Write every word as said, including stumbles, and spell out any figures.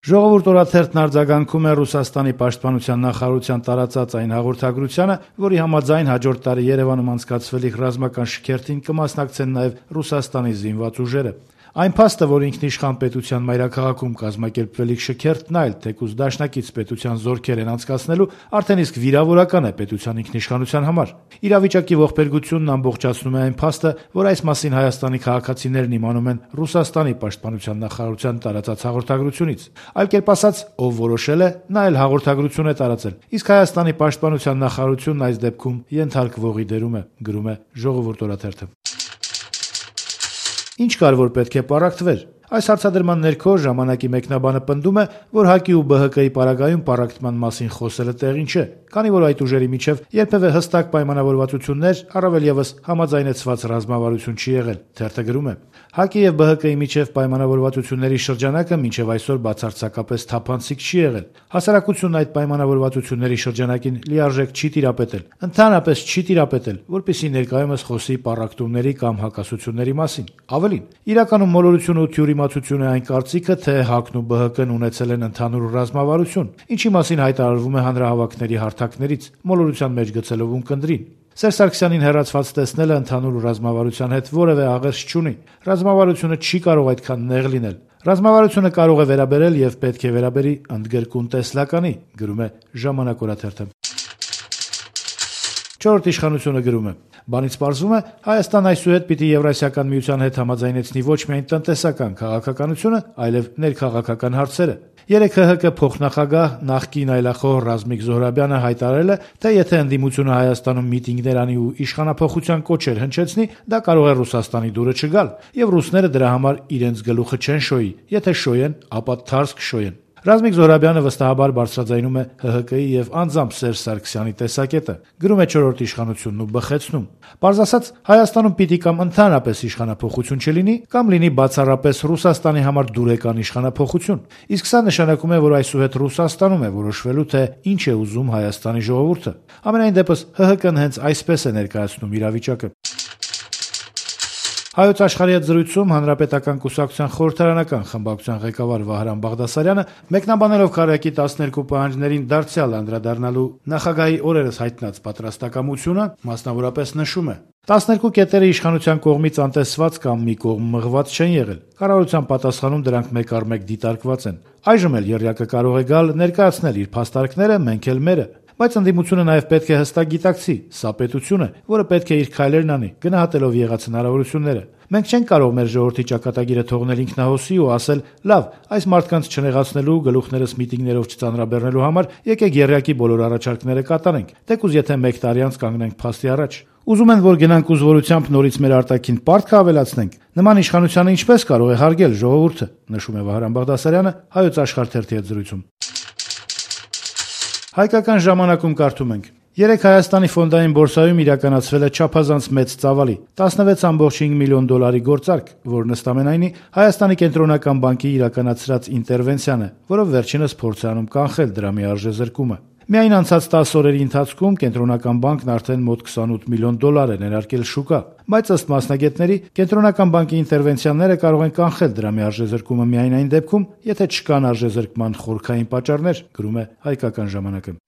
Ժողովուրդ օրաթերթն արձագանքում է Ռուսաստանի պաշտպանության նախարարության տարածած այն հաղորդագրությանը, որի համաձայն հաջորդ տարի Երևանում անցկացվելիք ռազմական շքերթին կմասնակցեն նաև Ռուսաստանի զինված ուժերը։ Այն փաստը, որ ինքնիշխան պետության մայրաքաղաքում կազմակերպվելիք շքերթն այլ թեկուզ դաշնակից պետության զորքեր են անցկացնելու, արդեն իսկ վիրավորական է պետության ինքնիշխանության համար։ Իրավիճակի ողբերգությունն ամբողջացնում է այն փաստը, որ այս մասին Հայաստանի քաղաքացիներն իմանում են Ռուսաստանի պաշտպանության նախարարության տարածած հաղորդագրությունից։ Այլ կերպ ասած, ով որոշել է, նա էլ հաղորդագրություն է տարածել, իսկ Հայաստանի պաշտպանության նախարարությունն այս դեպքում ենթարկվողի դերում է, գրում է Ժողովուրդ օրաթերթը։ Ինչ կար, որ պետք է պառակտվեր։ Այս հարցադրման ներքո ժամանակի մեկնաբանը պնդում է, որ ՀԱԿ-ի ու ԲՀԿ-ի պարագայում պառակտման մասին խոսելը տեղին չէ, քանի որ այդ ուժերի միջև երբևէ հստակ պայմանավորվածություններ, առավել ևս համաձայնեցված ռազմավարություն չի եղել։ Թերթը գրում է. ՀԱԿ-ի եւ ԲՀԿ-ի միջև պայմանավորվածությունների շրջանակը մինչև այսօր բացարձակապես թափանցիկ չի եղել։ Հասարակությունն այդ պայմանավորվածությունների շրջանակին լիարժեք չի տիրապետել, ընդհանրապես չի տիրապետել, որպեսզի ներկայումս խոսի պառակտումների կամ հակասությունների մասին։ Ավելին, իրականում մոլորությունը ու թյուրիմացությունը այն կարծիքը, թե ՀԱԿ-ն ու ԲՀԿ-ն ունեցել են ընդհանուր ռազմավարություն, ինչի մասին հայտարարվում է հանրահավաքների հարթակներից, մոլորության մեջ գցելով ունկնդրին։ Սերժ Սարգսյանին հեռացված տեսնելը ընդհանուր ռազմավարության հետ որևէ աղերս չունի։ Ռազմավարությունը չի կարող այդքան նեղ լինել։ Ռազմավարությունը կարող է վերաբերել եւ պետք է վերաբերի ընդգրկուն տեսլականի, գրում է Ժամանակ օրաթերթը։ Չորրորդ իշխանությունը գրում է. Բանից պարզվում է, Հայաստան այսուհետ պիտի Եվրասիական միության հետ համաձայնեցնի ոչ միայն տնտեսական քաղաքականությունը, այլև ներքաղաքական հարցերը։ Երեկ ՀՀԿ փոխնախագահ նախկին այլախոհ Ռազմիկ Զոհրաբյանը հայտարարել է, թե եթե ընդդիմությունը Հայաստանում միտինգներ անի ու իշխանափոխության կոչեր հնչեցնի, դա կարող է Ռուսաստանի դուրը չգալ, եւ ռուսները դրա համար իրենց գլուխը չեն շոյի, եթե շոյեն, ապա թարս կշոյեն։ Ռազմիկ Զոհրաբյանը վստահաբար բարձրաձայնում է ՀՀԿ-ի եւ անձամբ Սերժ Սարգսյանի տեսակետը, գրում է Չորրորդ իշխանությունն ու բխեցնում։ Պարզ ասած, Հայաստանում պիտի կամ ընդհանրապես իշխանափոխություն չլինի, կամ լինի բացառապես Ռուսաստանի համար դուրեկան իշխանափոխություն։ Իսկ սա նշանակում է, որ այսուհետ Ռուսաստանում է որոշվելու, թե ինչ է ուզում Հայաստանի ժողովուրդը։ Ամենայն դեպս ՀՀԿ-ն հենց այսպես է ներկայացնում իրավիճակը։ Հայոց աշխարհի հետ զրույցում Հանրապետական կուսակցության խորհրդարանական խմբակցության ղեկավար Վահրամ Բաղդասարյանը մեկնաբանելով քարոզի տասներկու պահանջներին դարձյալ անդրադառնալու նախագահի օրերս հայտնած պատրաստակամությունը, մասնավորապես նշում է. տասներկու կետերը իշխանության կողմից անտեսված կամ մի կողմ մղված չեն եղել։ Կառավարության պատասխանում դրանք մեկ առ մեկ դիտարկված են։ Այժմ էլ եռյակը կարող է գալ ներկայացնել իր փաստարկները, մենք էլ մերը։ Բայց ընդդիմությունը նաև պետք է հստակ գիտակցի, սա պետություն է, որը պետք է իր քայլերն անի, գնահատելով եղած հնարավորությունները։ Մենք չենք կարող մեր ժողովրդի ճակատագիրը թողնել ինքնահոսի ու ասել՝ լավ, այս մարդկանց չնեղացնելու, գլուխներս միտինգներով չծանրաբեռնելու համար եկեք եռյակի բոլոր առաջարկները կատարենք, թեկուզ եթե մեկ տարի անց կանգնենք փաստի առաջ։ Ուզում են, որ գնանք ուզորությամբ նորից մեր արտաքին պարտքը ավելացնենք։ Նման իշխանությանը ինչպես կարող է հարգել ժողովուրդը, նշում է Վահրամ Բաղդասարյանը Հայոց աշխարհ թերթի հետ զրույցում։ Հայկական ժամանակում կարդում ենք. Երեկ Հայաստանի ֆոնդային բորսայում իրականացվել է չափազանց մեծ ծավալի տասնվեց կόμμα հինգ միլիոն դոլարի գործարք, որն ըստ ամենայնի Հայաստանի կենտրոնական բանկի իրականացրած ինտերվենցիան է, որով վերջինս փորձ է անում կանխել դրամի արժեզրկումը։ Միայն անցած տասը օրերի ընթացքում կենտրոնական բանկն արդեն մոտ քսանութ միլիոն դոլար է ներարկել շուկա, բայց ըստ մասնագետների կենտրոնական բանկի ինտերվենցիաները կարող են կանխել դրամի արժեզրկումը միայն այն դեպքում, եթե չկան արժեզրկման խորքային պատճառներ, գրում է Հայկական ժամանակը։